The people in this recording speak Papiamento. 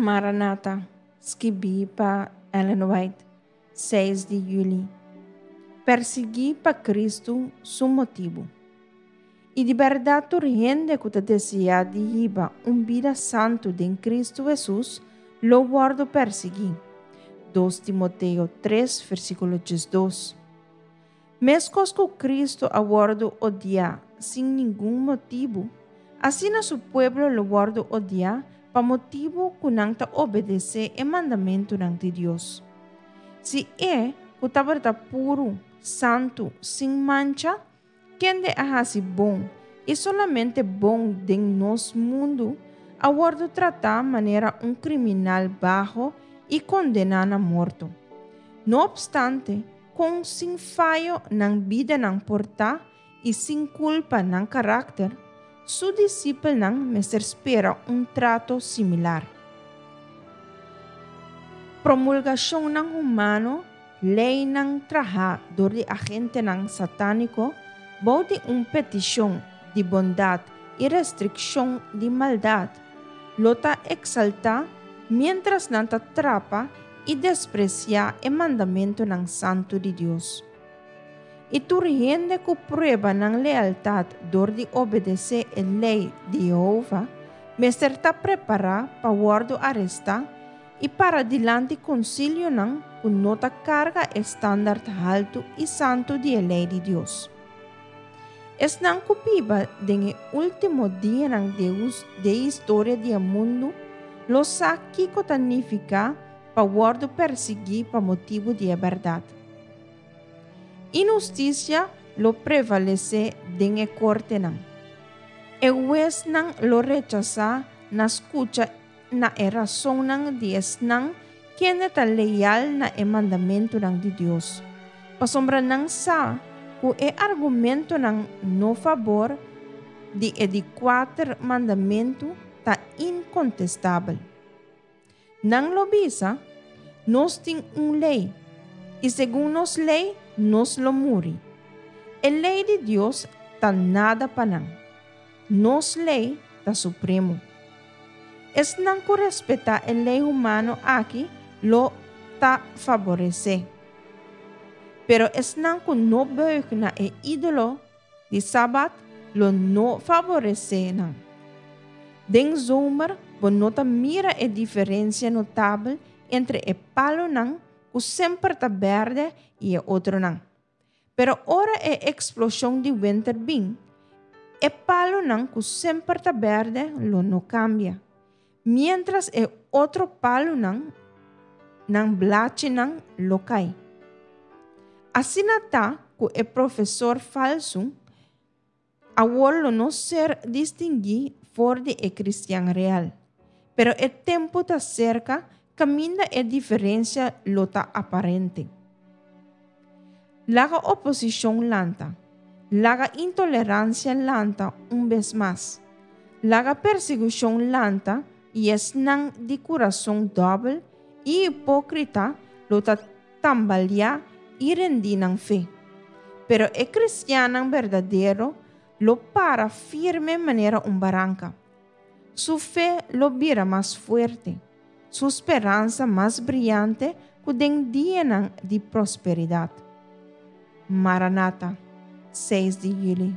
Maranata, skibí pa Ellen White, 6 di yüli. Persiguí pa Kristu su motibu. I di bèrdat tur hende ku ta deseá di hiba un bida santu den Kristu Hesus lo wòrdu persiguí. 2 Timoteo 3 versíkulo 12. Meskos ku Kristu a wòrdu odiá sin ningun motibu, asina su pueblo lo wòrdu odiá pa motibu ku nan ta obedesé e mandamentunan di Dios. Si e, ku tabata puru, santu, sin mancha, kende a hasi bon i solamente bon den nos mundu, a wòrdu tratá manera un kriminal baho i kondená na morto. No opstante, kon sin fayo nan bidanan por ta i sin kulpa nan karakter, su disipelnan mester spera un trato similar. Promulgashonnan humano, leinan trahá dor di agentenan satániko bou di un petishon di bondat i restrikshon di maldat, lo ta eksaltá miéntras nan ta trapa i despresiá e mandamentunan santu di Dios. I tur hende ku prueba nan lealtat dor di obedesé e lei di Yehova mester ta prepará pa wòrdu arestá i para dilanti konsilionan ku no ta karga e standart haltu i santu di e lei di Dios. Esnan ku biba den e último dianan di e historia di e mundu lo sa kiko ta nifiká pa wòrdu persiguí pa motibu di e bèrdat. Inhustisia lo prevalesé den e kortenan. E huesnan lo rechasá na skucha na e rasonnan di esnan kende ta leal na e mandamentunan di Dios, pasobra nan sa ku e argumentonan no fabor di e di kuater mandamentu ta inkontestabel. Nan lo bisa, Nos tin un lei, i segun nos lei nos lo muri. E lei di Dios ta nada pa nan. Nos lei ta supremo. Esnan ku respetá e lei humano aki lo ta faboresé. Pero esnan ku no buig na e ídolo di Sabat lo no faboresé nan. Den zomer bo no ta mira e diferensia notabel entre e palonan ku semper ta bèrdè i e otronan. Pero ora e eksploshon di winter bin, e palunan ku semper ta bèrdè lo no kambia, miéntras e otro palunan nan blachinan lo kai. Asina ta ku e profesor falsu Awor lo no ser distinguí for di e cristian real, pero e tempu ta cerca caminda e diferencia lo ta aparente. Laga oposicion lanta, laga intolerancia lanta un bes mas, laga persigucion lanta i esnan di curason dòbel i hipócrita lo ta tambaleá i rendí nan fe. Pero e kristiannan berdadero lo para firme manera un baranka. Su fe lo bira mas fuerte, su speransa mas briante ku den dianan di prosperidat. Maranata, 6 di yüli.